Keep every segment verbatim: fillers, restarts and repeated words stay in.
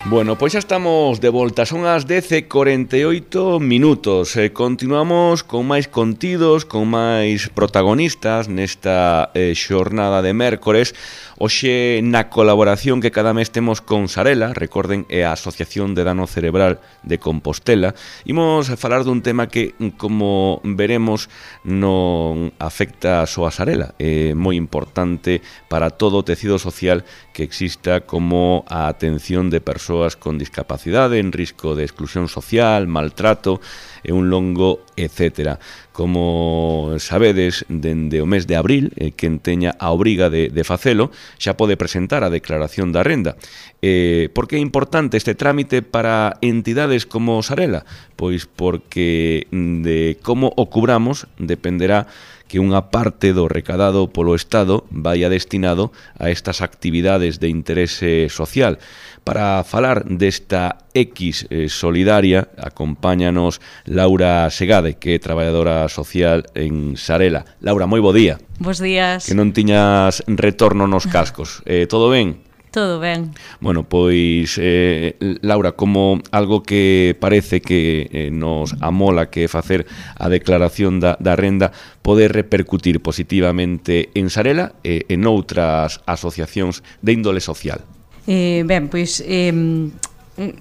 Bueno, pois xa estamos de volta, son as dez e cuarenta e oito minutos. eh, Continuamos con máis contidos, con máis protagonistas nesta eh, xornada de mércores. Hoxe na colaboración que cada mes temos con Sarela, recorden, é a Asociación de Dano Cerebral de Compostela. Imos falar dun tema que, como veremos, non afecta só a Sarela. É moi importante para todo o tecido social que exista, como a atención de persoas con discapacidade, en risco de exclusión social, maltrato e un longo etcétera. Como sabedes, dende o mes de abril, eh, quen teña a obriga de, de facelo xa pode presentar a declaración da renda. Eh, por que é importante este trámite para entidades como Sarela? Pois porque de como o cubramos dependerá que unha parte do recadado polo Estado vaia destinado a estas actividades de interese social. Para falar desta X eh, solidaria, acompáñanos Laura Segade, que é traballadora social en Sarela. Laura, moi bo día. Bos días. Que non tiñas retorno nos cascos. Eh, todo ben? Todo ben. Bueno, pois, eh, Laura, como algo que parece que eh, nos amola que facer a declaración da, da renda pode repercutir positivamente en Sarela e en outras asociacións de índole social. Eh, ben, pois, eh,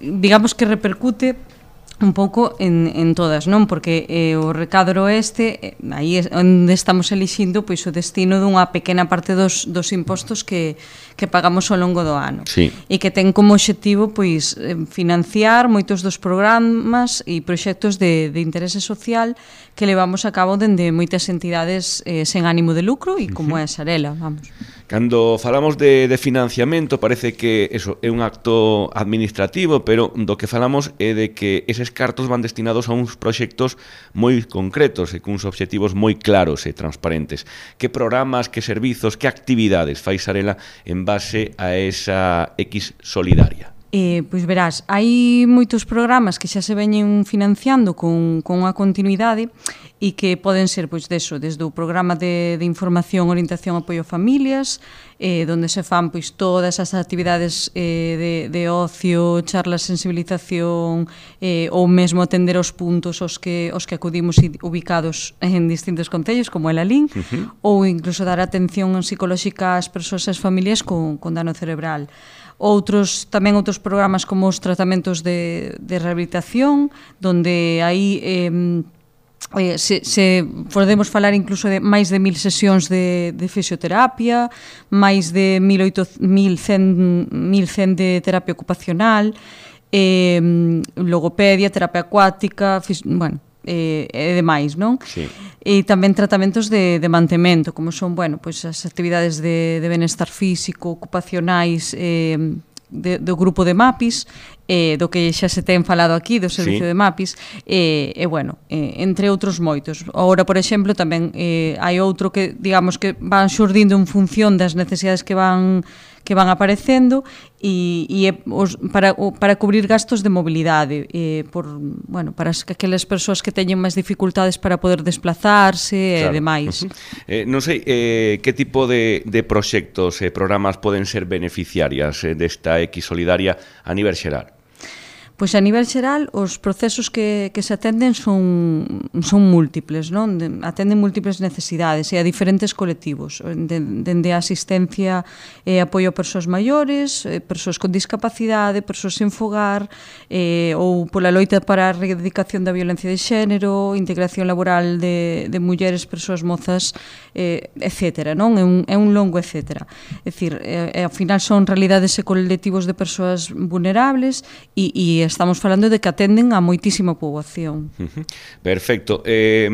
digamos que repercute un pouco en, en todas, non? Porque eh, o recadro este, eh, aí é onde estamos elixindo pois o destino dunha pequena parte dos, dos impostos que, que pagamos ao longo do ano. Sí. E que ten como obxectivo pois financiar moitos dos programas e proxectos de, de interese social que levamos a cabo dende moitas entidades eh, sen ánimo de lucro e como uh-huh. é a Sarela, vamos. Cando falamos de, de financiamento parece que eso é un acto administrativo, pero do que falamos é de que eses cartos van destinados a uns proxectos moi concretos e cuns obxectivos moi claros e transparentes. Que programas, que servizos, que actividades fai Sarela en base a esa X solidaria? Eh, pois verás, hai moitos programas que xa se veñen financiando con, con unha continuidade e que poden ser, pois, deso, desde o programa de, de información, orientación e apoio a familias, eh, onde se fan, pois, todas as actividades eh, de, de ocio, charlas, sensibilización, eh, ou mesmo atender os puntos aos que, os que acudimos ubicados en distintos concellos, como el Alín, uh-huh. ou incluso dar atención psicolóxica ás persoas e ás familias con, con dano cerebral. Outros, tamén outros programas como os tratamentos de, de rehabilitación, donde aí eh, eh, se, se podemos falar incluso de máis de mil sesións de, de fisioterapia, máis de mil cen de terapia ocupacional, eh, logopedia, terapia acuática, fis, bueno, e eh, demais, non? Sí. E tamén tratamentos de, de mantemento, como son, bueno, pois as actividades de, de benestar físico, ocupacionais, eh, de, do grupo de MAPIS, eh, do que xa se ten falado aquí, do servicio sí. de MAPIS, e, eh, eh, bueno, eh, entre outros moitos. Agora, por exemplo, tamén eh, hai outro que, digamos, que van xurdindo en función das necesidades que van que van aparecendo e, e os, para, para cubrir gastos de mobilidade eh, por, bueno, para as, aquelas persoas que teñen máis dificultades para poder desplazarse claro. e demais. Uh-huh. eh, non sei eh, que tipo de, de proxectos e eh, programas poden ser beneficiarias eh, desta X solidaria a nivel xeral. Pois a nivel xeral, os procesos que, que se atenden son, son múltiples, non? De, atenden múltiples necesidades e a diferentes colectivos, dende a asistencia e apoio a persoas maiores, persoas con discapacidade, persoas sen fogar, eh, ou pola loita para a erradicación da violencia de xénero, integración laboral de, de mulleres, persoas mozas, eh, etcétera, non? É un, é un longo etcétera. É dicir, eh, ao final son realidades e colectivos de persoas vulnerables e, e estamos falando de que atenden a moitísima poboación. Uh-huh. Perfecto. Eh,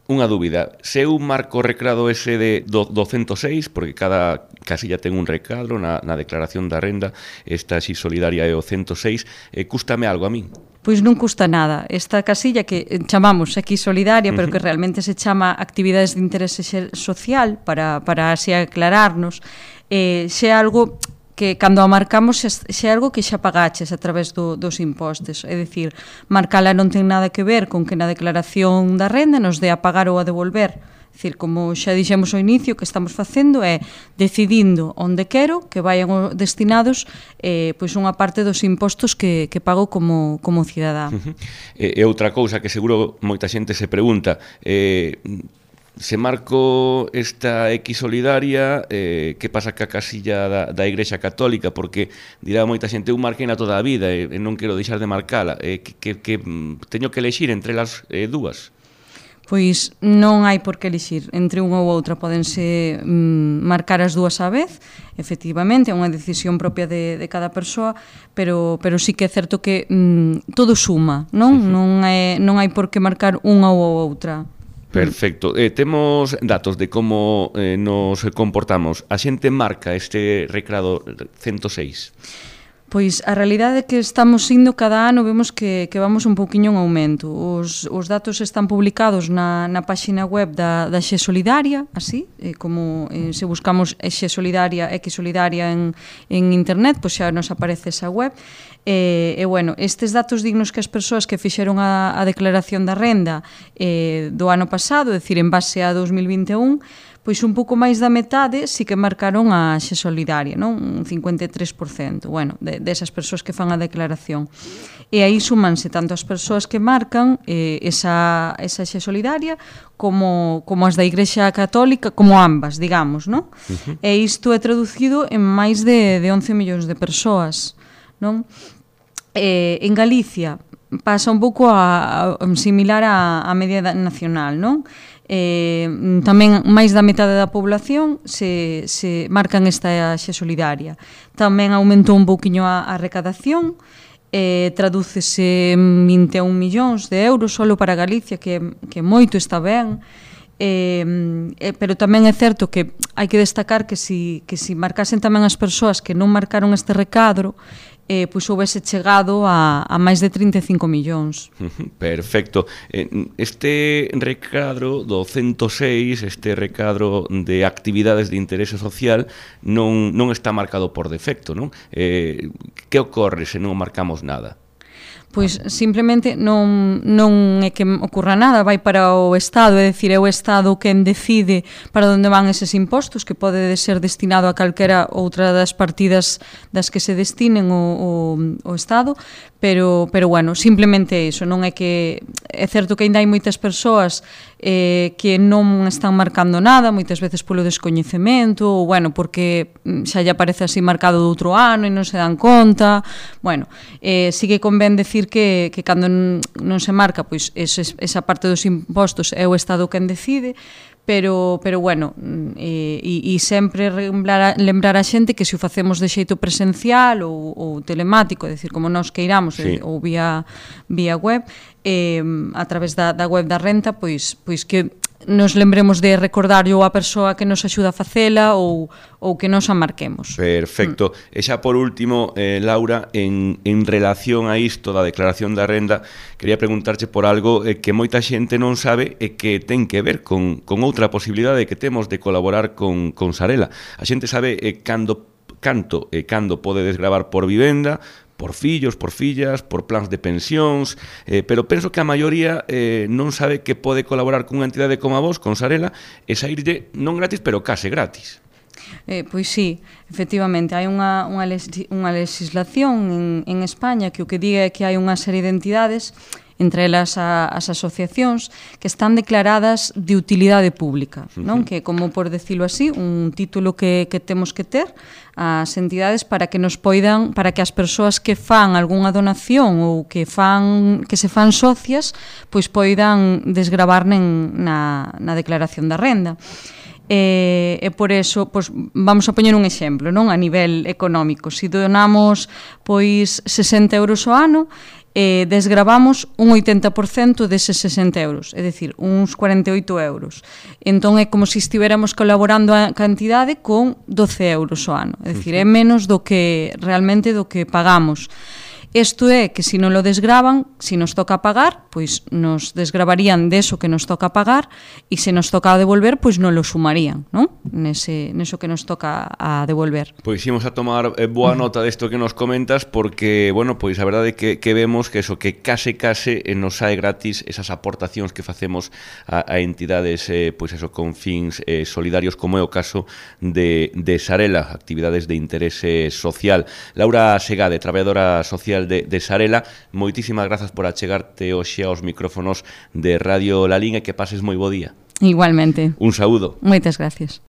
unha dúbida. Se eu marco o recado ese de do, do cento seis, porque cada casilla ten un recadro na, na declaración da renda, esta así solidaria é o cento seis, eh, cústame algo a min? Pois non custa nada. Esta casilla que chamamos aquí solidaria, pero que realmente se chama actividades de interese social, para, para así aclararnos, eh, xe algo que cando a marcamos xe é algo que xa pagaches a través do, dos impostos. É dicir, marcala non ten nada que ver con que na declaración da renda nos dé a pagar ou a devolver É dicir, como xa dixemos ao inicio, o que estamos facendo é decidindo onde quero que vayan destinados eh, pois unha parte dos impostos que, que pago como, como cidadá. Uh-huh. E, e outra cousa que seguro moita xente se pregunta, eh, se marco esta X solidaria, eh, que pasa ca casilla da, da Igrexa Católica? Porque dirá moita xente, eu marqueina toda a vida e, e non quero deixar de marcala, eh, que, que, que teño que elexir entre las eh, dúas? Pois non hai por que elixir entre unha ou outra, podense mm, marcar as dúas á vez, efectivamente, é unha decisión propia de, de cada persoa, pero, pero sí que é certo que mm, todo suma, non? Uh-huh. Non, é, non hai por que marcar unha ou outra. Perfecto. Eh, temos datos de como eh, nos comportamos. A xente marca este recrado ciento seis. Pois a realidade é que estamos indo cada ano, vemos que, que vamos un pouquiño en aumento. Os, os datos están publicados na, na páxina web da, da Xe Solidaria, así, eh, como eh, se buscamos Xe Solidaria, X Solidaria en, en internet, pois xa nos aparece esa web. E, e bueno, estes datos dignos que as persoas que fixeron a, a declaración da renda eh, do ano pasado, é dicir, en base a dos mil vinte e un, pois un pouco máis da metade sí que marcaron a Xe Solidaria, non? Un cincuenta e tres por cento, bueno, de, desas persoas que fan a declaración. E aí sumanse tanto as persoas que marcan eh, esa, esa Xe Solidaria como, como as da Igrexa Católica, como ambas, digamos, non? Uh-huh. E isto é traducido en máis de, de once millóns de persoas, non? Eh, en Galicia pasa un pouco a, a, similar á, á media nacional, non? Eh, tamén máis da metade da población se, se marcan esta Xe Solidaria. Tamén aumentou un pouquiño a, a recadación, eh, tradúcese en vinte e un millóns de euros solo para Galicia, que, que moito está ben. Eh, eh, pero tamén é certo que hai que destacar que si, que si marcasen tamén as persoas que non marcaron este recadro, eh, pois houvese chegado a, a máis de trinta e cinco millóns. Perfecto. Este recadro do ciento seis, este recadro de actividades de interese social, non, non está marcado por defecto, non? Eh, que ocorre se non marcamos nada? Pois simplemente non, non é que ocurra nada, vai para o Estado, é dicir, é o Estado quen decide para onde van eses impostos, que pode ser destinado a calquera outra das partidas das que se destinen o, o, o Estado, pero, pero bueno, simplemente iso, non é que é certo que ainda hai moitas persoas eh, que non están marcando nada, moitas veces polo descoñecemento, ou bueno, porque xa lle aparece así marcado do outro ano e non se dan conta, bueno, eh, sí que convén decir que, que cando non se marca, pois ese, esa parte dos impostos é o Estado quen decide, pero, pero bueno, e, e sempre lembrar a, lembrar a xente que se o facemos de xeito presencial ou, ou telemático, é dicir, como nós queiramos, sí, ou vía, vía web, eh, a través da, da web da renta, pois, pois que nos lembremos de recordarlo a persoa que nos axuda a facela ou, ou que nos a marquemos. Perfecto. Mm. E xa por último, eh, Laura, en, en relación a isto da declaración da renda, quería preguntarche por algo eh, que moita xente non sabe e que ten que ver con, con outra posibilidade que temos de colaborar con, con Sarela. A xente sabe eh, cando, canto e eh, cando pode desgravar por vivenda, por fillos, por fillas, por plans de pensións, eh, pero penso que a maioría eh, non sabe que pode colaborar cunha entidade como a vos, con Sarela, e saírlle non gratis, pero case gratis. Eh, pois sí, efectivamente, hai unha, unha, unha legislación en, en España que o que diga é que hai unha serie de entidades, entre elas a, as asociacións, que están declaradas de utilidade pública, non? Que, como por decirlo así, un título que, que temos que ter as entidades para que nos poidan, para que as persoas que fan algunha donación ou que fan que se fan socias, pois poidan desgravar na, na declaración da renda. E, e por eso, pois, vamos a poñer un exemplo, non? A nivel económico, se donamos pois sesenta euros ao ano, eh, desgravamos un oitenta por cento deses sesenta euros, é dicir, uns cuarenta e oito euros. Entón é como se estiveramos colaborando a cantidade con doce euros ao ano, é dicir, é menos do que realmente do que pagamos. Isto é que se non lo desgravan, se nos toca pagar, pois nos desgravarían deso que nos toca pagar, e se nos toca devolver, pois non lo sumarían, non? Nese, neso que nos toca a devolver. Pois imos a tomar eh, boa nota desto que nos comentas, porque, bueno, pois a verdade é que, que vemos que eso, que case case eh, nos sae gratis esas aportacións que facemos a, a entidades, eh, pois eso, con fins eh, solidarios, como é o caso de, de Sarela, actividades de interese social. Laura Segade, traballadora social de, de Sarela, moitísimas grazas por achegarte hoxe aos micrófonos de Radio La Liga e que pases moi bo día. Igualmente. Un saúdo. Moitas gracias.